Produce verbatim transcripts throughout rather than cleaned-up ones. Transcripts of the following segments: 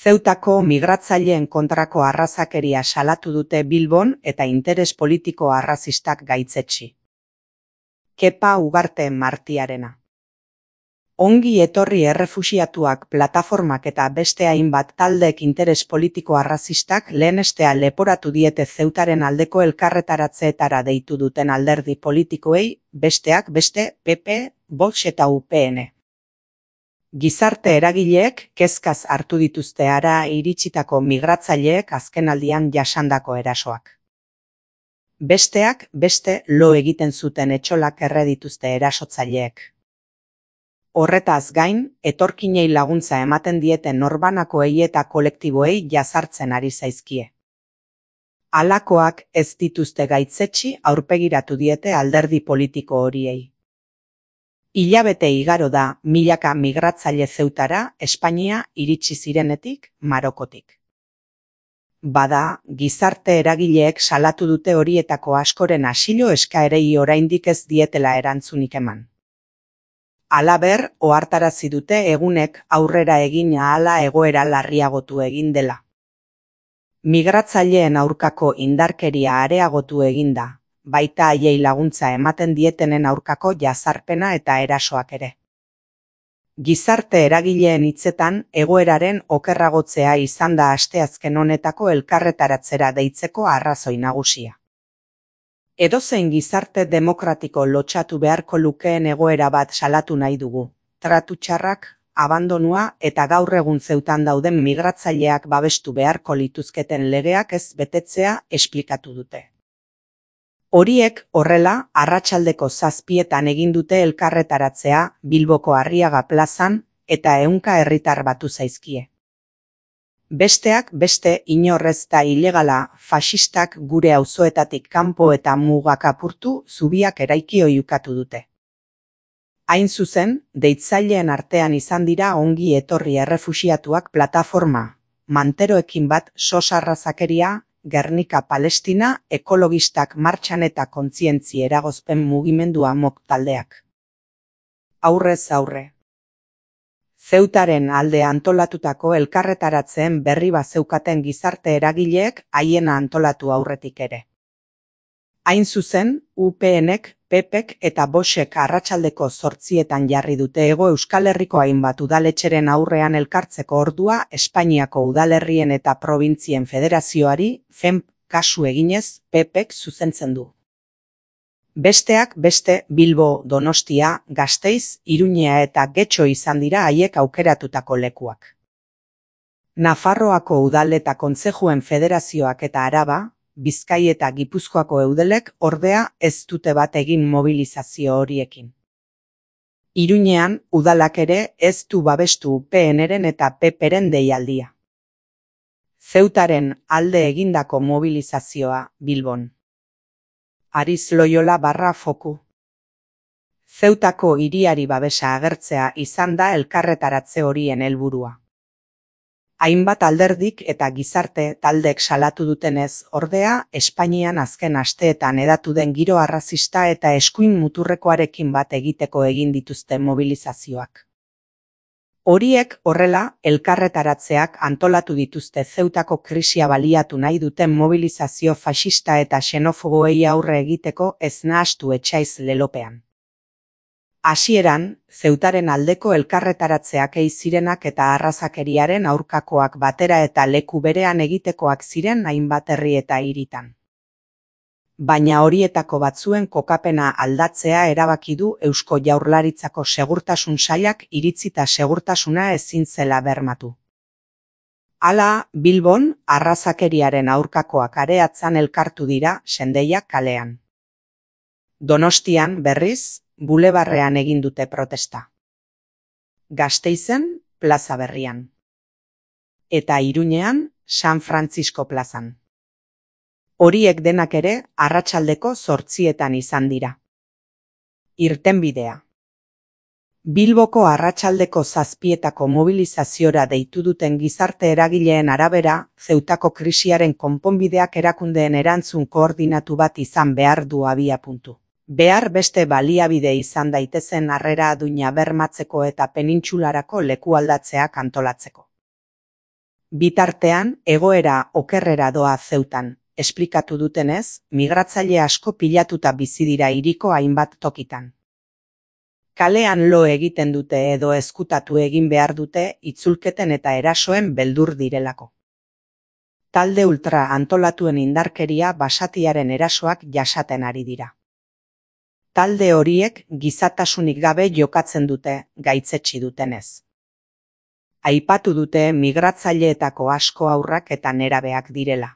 Zeutako migratzaileen kontrako arrazakeria salatu dute Bilbon eta interes politiko arrazistak gaitzetsi. Kepa Ugarte Martiarena. Ongi etorri errefuxiatuak plataformak eta beste hainbat taldeek interes politiko arrazistak lehenestea leporatu diete Zeutaren aldeko elkarretaratzeetara deitu duten alderdi politikoei, besteak beste P P, Vox eta U P N. Gizarte eragileek kezkaz hartu dituzte hara iritsitako migratzaileek azkenaldian jasandako erasoak. Besteak beste lo egiten zuten etxolak erre dituzte erasotzaileek. Horretaz gain, etorkinei laguntza ematen dieten norbanakoei eta kolektiboei jazartzen ari zaizkie. Halakoak ez dituzte gaitzetsi aurpegiratu diete alderdi politiko horiei. Hilabete igaro da milaka migratzaile Zeutara Espainia iritsi zirenetik Marokotik. Bada, gizarte eragileek salatu dute horietako askoren asilo eskaerei oraindik ez dietela erantzunik eman. Halaber, ohartarazi dute egunek aurrera egin ahala egoera larriagotu egin dela. Migratzaileen aurkako indarkeria areagotu egin da, baita haiei laguntza ematen dietenen aurkako jazarpena eta erasoak ere. Gizarte eragileen hitzetan egoeraren okerragotzea izan da asteazken honetako elkarretaratzera deitzeko arrazoi nagusia. Edozein gizarte demokratiko lotsatu beharko lukeen egoera bat salatu nahi dugu, tratu txarrak, abandonua eta gaur egun Zeutan dauden migratzaileak babestu beharko lituzketen legeak ez betetzea esplikatu dute. Horiek horrela, arratsaldeko zazpietan egin dute elkarretaratzea Bilboko Arriaga plazan eta ehunka herritar batu zaizkie. Besteak beste inorrez da ilegala faxistak gure auzoetatik kanpo eta mugak apurtu zubiak eraiki oihukatu dute. Hain zuzen, deitzaileen artean izan dira ongi etorri errefuxiatuak plataforma, manteroekin bat sosarrazakeria, Gernika Palestina, ekologistak martxan eta kontzientzi eragozpen mugimendua mok taldeak. Aurrez aurre. Zeutaren alde antolatutako elkarretaratzeen berri bazeukaten gizarte eragileek haiena antolatu aurretik ere. Hain zuzen, U PNek, P Pek eta Voxek arratsaldeko zortzietan jarri dute Hego Euskal Herriko hainbat udaletxeren aurrean elkartzeko ordua Espainiako udalerrien eta probintzien federazioari, F E M kasu eginez, P Pek zuzentzen du. Besteak beste Bilbo, Donostia, Gasteiz, Iruñea eta Getxo izan dira haiek aukeratutako lekuak. Nafarroako udal eta kontzejuen federazioak eta Araba, Bizkai eta Gipuzkoako eudelek ordea ez dute bat egin mobilizazio horiekin. Iruñean udalak ere ez du babestu U P Nren eta P Pren deialdia. Zeutaren alde egindako mobilizazioa Bilbon. Ariz Loyola barra foku. Zeutako hiriari babesa agertzea izan da elkarretaratze horien helburua. Hainbat alderdik eta gizarte taldek salatu dutenez, ordea, Espainian azken asteetan hedatu den giro arrazista eta eskuin muturrekoarekin bat egiteko egin dituzte mobilizazioak. Horiek horrela, elkarretaratzeak antolatu dituzte Zeutako krisia baliatu nahi duten mobilizazio faxista eta xenofoboei aurre egiteko ez nahastu etxaiz lelopean. Hasieran, Zeutaren aldeko elkarretaratzeak ei zirenak eta arrazakeriaren aurkakoak batera eta leku berean egitekoak ziren hainbat herri eta hiritan. Baina horietako batzuen kokapena aldatzea erabaki du Eusko Jaurlaritzako Segurtasun Sailak iritzita segurtasuna ezin zela bermatu. Hala, Bilbon, arrazakeriaren aurkakoak areatzan elkartu dira Sendeia kalean. Donostian, berriz, Bulebarrean egin dute protesta. Gasteizen, Plaza Berrian. Eta Iruñean, San Francisco plazan. Horiek denak ere, arratsaldeko zortzietan izan dira. Irtenbidea. Bilboko arratsaldeko zazpietako mobilizaziora deitu duten gizarte eragileen arabera, Zeutako krisiaren konponbideak erakundeen erantzun koordinatu bat izan behar du abiapuntu. Behar beste baliabide izan daitezen harrera duina bermatzeko eta penintsularako lekualdatzeak antolatzeko. Bitartean, egoera okerrera doa Zeutan, esplikatu dutenez, migratzaile asko pilatuta bizi dira hiriko hainbat tokitan. Kalean lo egiten dute edo ezkutatu egin behar dute itzulketen eta erasoen beldur direlako. Talde ultra antolatuen indarkeria basatiaren erasoak jasaten ari dira. Talde horiek gizatasunik gabe jokatzen dute, gaitzetsi dutenez. Aipatu dute migratzaileetako asko haurrak eta nerabeak direla.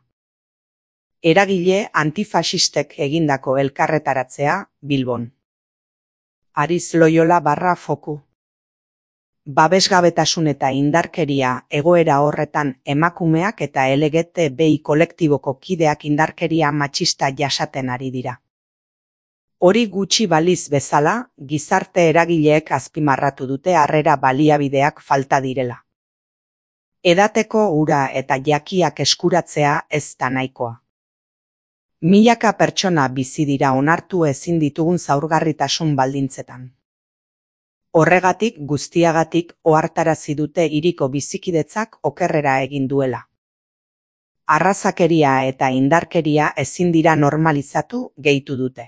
Eragile antifasistek egindako elkarretaratzea, Bilbon. Ariz Loyola barra foku. Babesgabetasun eta indarkeria egoera horretan emakumeak eta L G B T kolektiboko kideak indarkeria matxista jasaten ari dira. Hori gutxi baliz bezala, gizarte eragileek azpimarratu dute harrera baliabideak falta direla. Edateko ura eta jakiak eskuratzea ez da nahikoa. Milaka pertsona bizi dira onartu ezin ditugun zaurgarritasun baldintzetan. Horregatik guztiagatik ohartarazi dute hiriko bizikidetzak okerrera egin duela. Arrazakeria eta indarkeria ezin dira normalizatu, gehitu dute.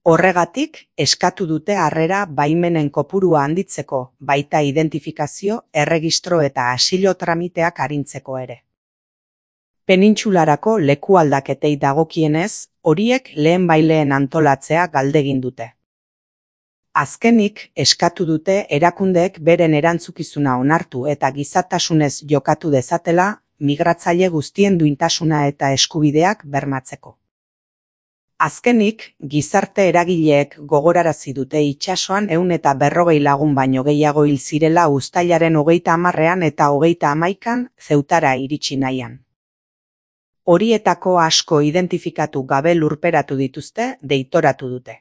Horregatik, eskatu dute harrera baimenen kopurua handitzeko, baita identifikazio, erregistro eta asilo tramiteak arintzeko ere. Penintsularako lekualdaketei dagokienez, horiek lehen baileen antolatzea galdegin dute. Azkenik, eskatu dute erakundeek beren erantzukizuna onartu eta gizatasunez jokatu dezatela, migratzaile guztien duintasuna eta eskubideak bermatzeko. Azkenik, gizarte eragileek gogorarazi dute itsasoan ehun eta berrogei lagun baino gehiago hil zirela uztailaren hogeita hamarrean eta hogeita hamaikan Zeutara iritsi nahian. Horietako asko identifikatu gabe lurperatu dituzte, deitoratu dute.